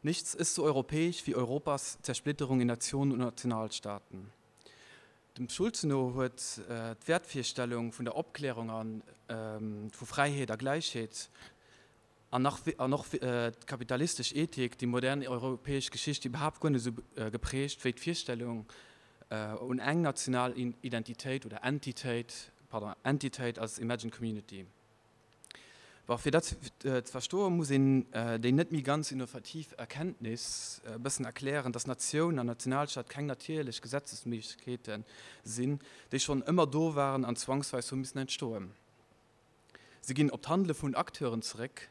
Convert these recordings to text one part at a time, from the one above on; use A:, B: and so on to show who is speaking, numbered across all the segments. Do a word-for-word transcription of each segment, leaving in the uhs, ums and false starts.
A: Nichts ist so europäisch wie Europas Zersplitterung in Nationen und Nationalstaaten. Dem Schulze no huet d'Wäertvirstellung vun der Opklärung a vu Fräiheet a Gläichheet an nach an och d'kapitalistesch Ethik déi modern europäesch Geschicht iwwerhaapt guer net esou geprägt wéi d'Virstellung un eng national Identitéit oder Entitéit, pardon, Entitéit als imagined community. Bon, fir dat ze verstoen, muss een déi net méi ganz innovativ Erkenntnis e bëssen erklären, dass Natioun an Nationalstaat keng natierlech Gesetzesméiglechkeete sinn, déi schonn ëmmer do waren an zwangsweis hu missen entstoen. Si ginn op d'Handele vun Acteuren zeréck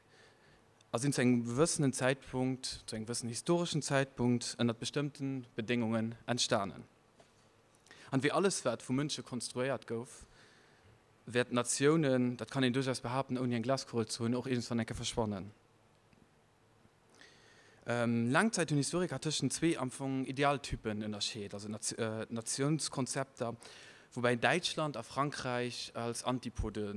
A: a sinn zu engem gewëssenen Zäitpunkt, zu engem gewëssenen historeschen Zäitpunkt, ënnert bestëmmte Bedéngungen entstanen. An wéi alles, wat vu Mënsche konstruéiert gouf, wäerten Natiounen, dat kann een duerchaus behaapten, ouni eng Glaskugel ze hunn, och iergendwann eng Kéier verschwannen. Laang Zäit hunn Historiker tëschent zwee am Fong Idealtypen ënnerscheet, also Natiounskonzepter, woubäi Däitschland a Frankräich als Antipode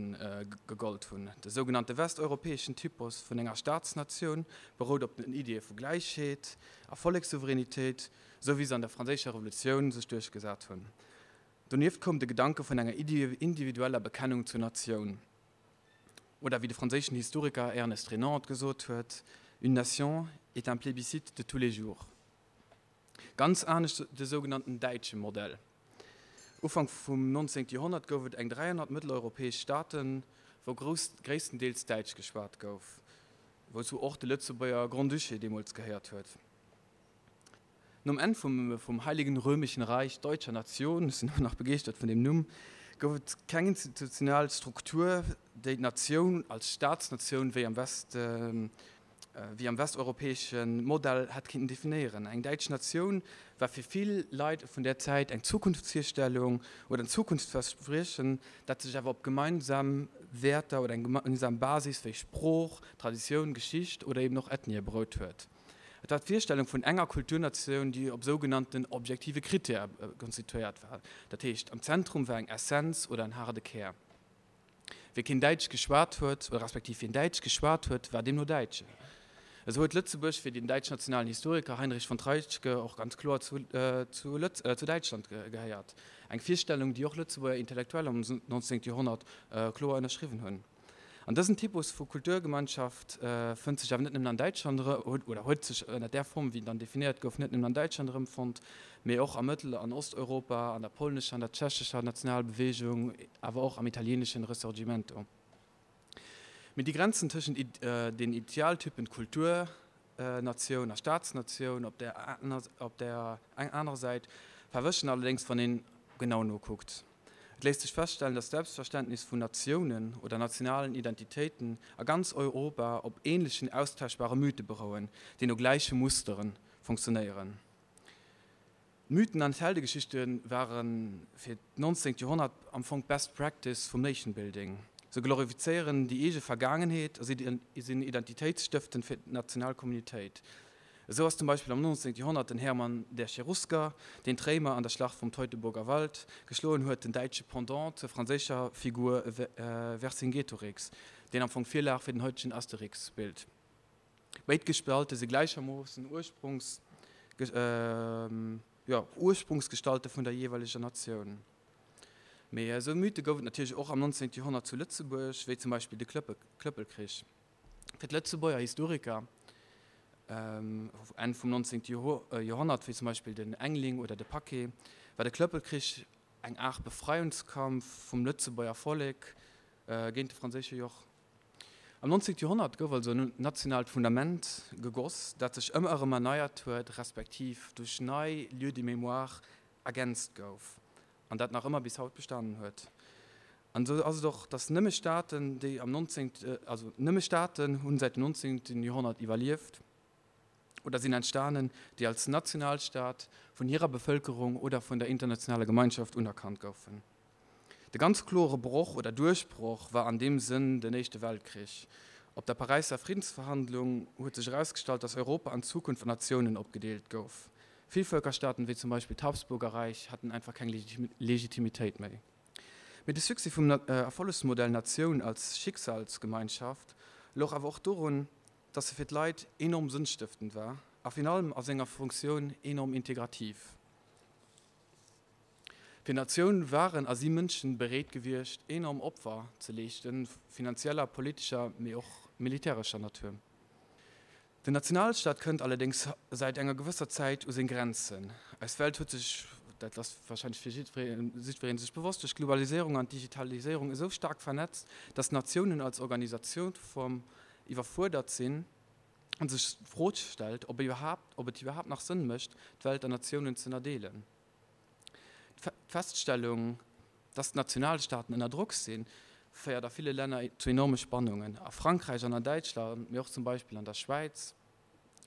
A: gegollt hunn. De sougenannte westeuropäeschen Typus vun enger Staatsnatioun berout op den Iddie vu Gläichheet a Vollekssouveränitéit, esou wéi se an der Franséischer Revolutioun sech duerchgesat hunn. Donieft koum de Gedanke vun enger individueller Bekennung zur Natioun. Oder wéi de franséischen Historiker Ernest Renan et gesot huet, Une nation est un plébiscite de tous les jours. Ganz anescht de sougenannten däitsche Modell. Ufank vum nonzéngte Joerhonnert gouf et eng dräihonnert mëtteleuropäesch Staaten, wou gréisstendeels Däitsch geschwat gouf, wouzou och de Lëtzebuerger Grand-Duché deemools gehéiert huet. Nom Enn vum Heiligen Römischen Reich Deutscher Nation, ech sinn ëmmer nach begeeschtert vun deem Numm, gouf et keng institutionell Struktur, déi d'Natioun als Staatsnatioun wéi am West, wéi am westeuropäesche Modell hätt kinnten definéieren. Eng däitsch Natioun war fir vill Leit vun där Zäit eng Zukunftsvirstellung oder en Zukunftsverspriechen, dat sech awer op gemeinsam Wäerter oder eng gemeinsam Basis wéi Sprooch, Traditioun, Geschicht oder eben och Ethnie berout huet. Et war d'Virstellung vun enger Kulturnatioun, déi op sougenannten objektive Critèrë konstituéiert war. Dat heescht, am Zentrum war eng Essenz oder en haarde Kär. Wie keen Däitsch geschwat huet, oder respektiv wien Däitsch geschwat huet, war deemno Däitschen. Esou huet Lëtzebuerg fir den däitschnationalen Historiker Heinrich von Treitschke och ganz kloer zu zu Däitschland gehéiert. Eng Virstellung, déi och Lëtzebuerger Intellektuell am neunzehnten Joerhonnert kloer ënnerschriwwen hunn. An dësen Typus vu Kulturgemeinschaft fënnt sech awer net nëmmen an Däitschland erëm, oder huet sech ënner där Form, wéi en dann definéiert gouf, net nëmmen an Däitschland erëmfonnt, mee och a Mëttel an Osteuropa, an der polnescher an der tschechescher Nationalbeweegung, awer och am italieeneschen Risorgimento. Mee déi Grenzen tëschent den Idealtypen Kulturnatioun a Staatsnatioun op där anerer Säit verwëschen allerdéngs, wann een genau nokuckt. Et léisst sech feststellen, datt d'Selbstverständnis vun Natiounen oder nationalen Identitéiten a ganz Europa op änlechen austauschbare Mythe berouen, déi no gläiche Mustere funktionéieren. D'Mythen an d'Heldegeschichte ware fir d'nonzéngt Joerhonnert am Fong d'Best Practice vum Nation Building. Se glorifizéieren déi eege Vergaangenheet a sinn identitéitsstëftend fir d'national Communitéit. Esou ass zum Beispill am nonzéngte Joerhonnert den Hermann der Cherusker, deen d'Réimer an der Schlacht vum Teutoburger Wald geschloen huet, den däitsche Pendant zur franséischer Figur Vercingetorix, deen am Fong d'Virlag fir den haitegen Asterix bilt. Béid Gestalte si gläichermoossen Ursprungsgestalte vun der jeeweileger Natioun. Mee esou Mythe gouf et natierlech och am nonzéngte Joerhonnert zu Lëtzebuerg, wéi zum Beispill de Klëppelkrich. Fir d'Lëtzebuerger Historiker Enn vum nonzéngte Joerhonnert, wéi zum Beispill den Engling oder de Paquet, war de Klëppelkrich eng Aart Befreiungskampf vum Lëtzebuerger Vollek géint de franséische Joch. Am nonzéngte Joerhonnert gouf also en nationaalt Fundament gegoss, dat sech ëmmer erëm erneiert huet, respektiv duerch nei Lieux de mémoire ergänzt gouf an dat nach ëmmer bis haut bestanen huet. An esou ass et och, datt nëmme Staaten, déi am nonzéngte, also nëmme Staaten hunn säit dem nonzéngten Joerhonnert iwwerlieft oder sinn entstanen, déi als Nationalstaat vun hirer Bevëlkerung oder vun der internationaler Gemeinschaft unerkannt goufen. De ganz klore Broch oder Duerchbroch war an deem Sënn den Éischte Weltkrich. Op der Paräisser Friddensverhandlung huet sech erausgestallt, datt Europa an Zukunft an Natiounen opgedeelt gouf. Villvëlkerstaaten, wéi zum Beispill d'Habsburgerräich, haten einfach keng Legitimitéit méi. Mee de Succès vum Erfollegsmodell Natioun als Schicksalsgemeinschaft louch awer och dorun, dass se fir d'Leit enorm sënnstëftend war a virun allem a senger Funktioun enorm integrativ. Fir d'Natioun waren a si Mënschen bereet gewiescht, enorm Opfer ze leeschten, finanzieller, politescher, mee och militärescher Natur. Den Nationalstaat kënnt allerdéngs säit enger gewësser Zäit u seng Grenzen. Eis Welt huet sech, dat ass warscheinlech fir jiddweree sech bewosst, duerch d'Globaliséierung an d'Digitaliséierung esou staark vernetzt, dass Natiounen als Organisatiounsform iwwerfuerdert sinn an sech d'Fro stellt, ob et iwwerhaapt nach Sënn mécht, d'Welt an Natiounen z'ënnerdeelen. D'Feststellung, dass d'Nationalstaaten ënner Drock sinn, féiert a ville Länner zu enorme Spannungen. A Frankräich an an Däitschland, mee och zum Beispill an der Schwäiz,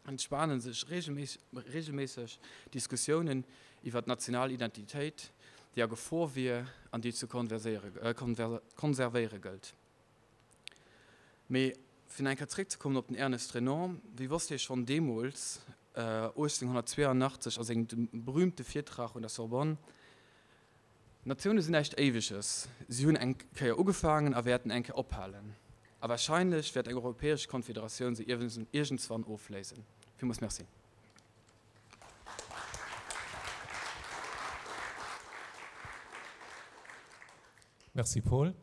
A: entspane sech reegelméisseg Diskussiounen iwwer d'national Identitéit, déi a Gefor wier an déi et ze konservéiere gëllt. Mee fir nach eng Kéier zeréckzekommen op den Ernest Renan, Wéi wosst hie schonn deemools, uechtzénghunnertzweeanachtzeg a sengem berüümte Virtrag un der Sorbonne, Natioune sinn näischt Éiweges. Si hunn eng Kéier ugefaangen a wäerten eng Kéier ophalen. A warscheinlech wäert eng europäesch Konfederatioun se iergendswann ofléisen. Villmools Merci.
B: Merci Paul.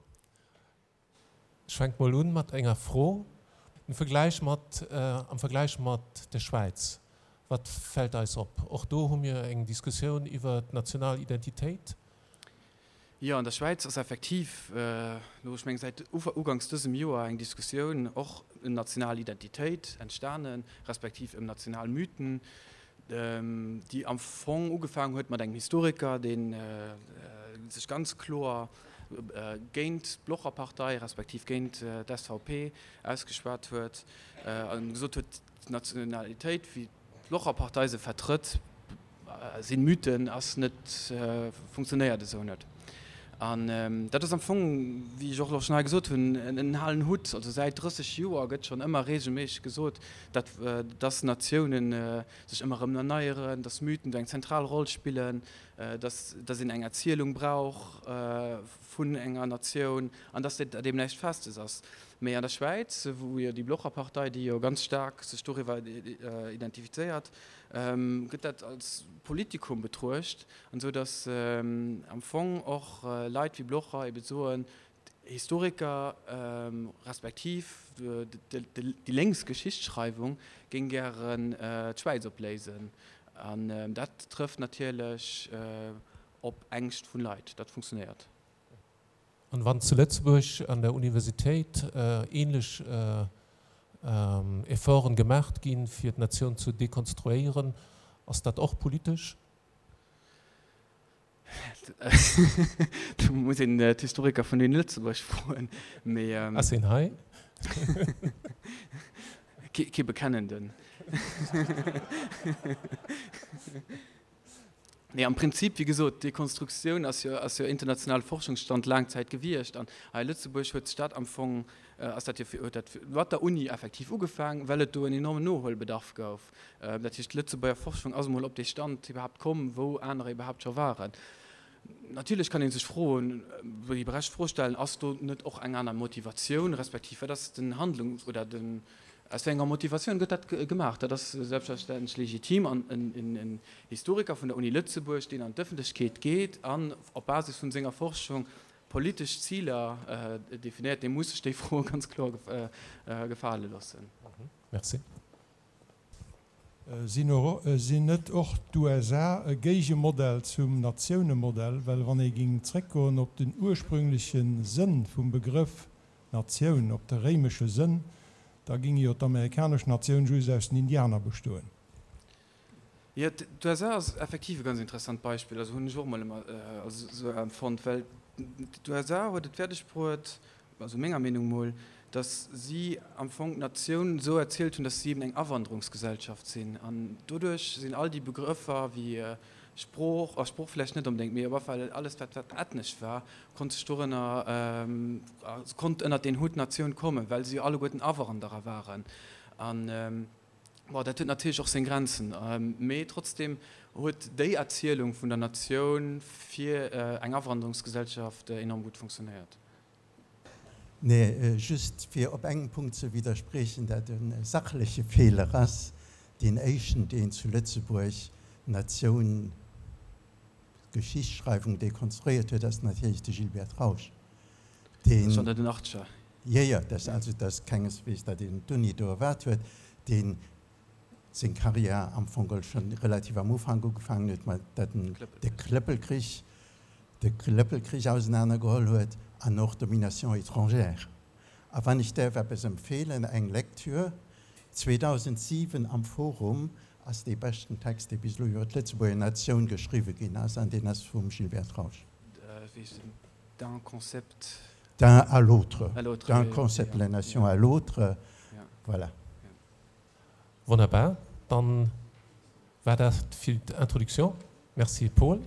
B: Ech fänke mol un mat enger Fro. Am Vergläich mat, am Vergläich mat der Schwäiz, wat fält eis op? Och do hu mir eng Diskussioun iwwer d'national Identitéit.
A: Jo, an der Schwäiz ass effektiv elo, ech mengen säit uganks dësem Joer, eng Diskussioun och ëm national Identitéit entstanen, respektiv ëm national Mythen, déi am Fong ugefaangen huet mat engem Historiker, dee sech ganz kloer géint d'Blocherpartei respektiv géint d'S V P ausgeschwat huet a gesot huet, d'Nationalitéit, wéi d'Blocherpartei se vertrëtt, sinn Mythen, ass net, funktionéiert esou net. An dat ass am Fong, wéi ech och elo schonn hei gesot hunn, en halen Hutt. Also säit drësseg Joer gëtt schonn ëmmer reegelméisseg gesot, datt dass Natiounen sech ëmmer erëm erneieren, dass Mythen do eng zentral Roll spillen, dass dass een eng Erzielung brauch vun enger Natioun an dass dat eben näischt Festes ass. Mee an der Schwäiz, wou jo déi Blocherpartei, déi jo ganz staark sech doriwwer identifizéiert, gëtt dat als Politikum betruecht, an esou datt am Fong och Leit wéi Blocher ebe soen, d'Historiker respektiv déi lénks Geschichtsschreiwung géing gären d'Schwäiz opléisen. An dat trëfft natierlech op Ängscht vun Leit. Dat funktionéiert.
B: An wann zu Lëtzebuerg an der Universitéit ähnlech Efforten gemacht ginn, fir d'Natioun zu dekonstruéieren, ass dat och politesch?
A: Do muss een d'Historiker vun den Lëtzebuerg froen. Mee,
B: Ass een hei?
A: Kee bekennenden. Nee, am Prinzip, wéi gesot, d'Dekonstruktioun ass jo, ass jo internationale Forschungsstand laang Zäit gewiescht. An hei a Lëtzebuerg huet sech dat am Fong, ass dat jo, huet dat mat der Uni effektiv ugefaang, well et do en enormen Nohuelbedarf gouf. Dat heescht, d'Lëtzebuerger Forschung ass emol op dee Stand iwwerhaapt komm, wou anerer iwwerhaapt scho waren. Natierlech kann ee sech froen, déi berecht Fro stellen, ass do net och eng aner Motivatioun, respektiv wat ass den Handlungs oder den, aus wéi enger Motivatioun gëtt dat gemaach? Dat ass selbstverständlech legitim an en Historiker vun der Uni Lëtzebuerg, deen an d'Ëffentlechkeet geet an op Basis vun senger Forschung politesch Ziler definéiert, dee muss sech déi Fro ganz kloer gefale loossen.
B: Merci.
C: Sinn net och d'U S A e Géigemodell zum Natiounemodell? Well wann ee géing zréckgoen op den ursprüngleche Sënn vum Begrëff Natioun, op de réimesche Sënn, da géing jo d'amerikanesch Natioun just aus den Indianer bestoen.
A: Jo, d'U S A ass effektiv e ganz interessant Beispill, also hunn ech och mol ëmmer esou empfonnt, well d'U S A huet et fäerdeg bruet, also menger Meenung mol, dass si am Fong d'Natioun esou erzielt hunn, dass si eben eng Awanderungsgesellschaft sinn. An doduerch sinn all déi Begrëffer wéi Sprooch, oh, Sprooch vläicht net onbedéngt, mee op alle Fall alles, wat, wat ethnesch war, konnt sech dorënner, konnt ënnert den Hutt Natioun kommen, well si jo alleguerten Awanderer waren. An, bon, dat huet natierlech och seng Grenzen, mee trotzdem huet déi Erzielung vun der Natioun fir eng Awanderungsgesellschaft enorm gutt funktionéiert.
D: Nee, just fir op engem Punkt ze widderspriechen, dat e sachleche Feeler ass. Deen éischten, deen zu Lëtzebuerg d'Natioun, d'Geschichtsschreiwung dekonstruéiert huet, ass natierlech de Gilbert Trausch,
A: deen. Schonn an den Achtzeger.
D: Jo, jo, dat, also dat ass kengesweegs, datt een d'Uni do erwaart huet, deen seng Karriär am Fong geholl schonn relativ am Ufank ugefaangen huet, mat datt en de Klëppelkrich, de Klëppelkrich ausenanergeholl huet an och Domination étrangère. A wann ech däerf eppes empfeelen, eng Lektür, zweedausendsiwen am Forum ass dee beschten Text, dee bis elo iwwer d'Lëtzebuerger Natioun geschriwwe ginn ass, an deen ass vum Gilbert Trausch.
A: Wéi heescht en? D'un concept.
D: D'un à l'autre. D'un concept de la nation à l'autre. Voilà.
B: Wonnerbar, dann war dat fir d'Introduction. Merci Paul.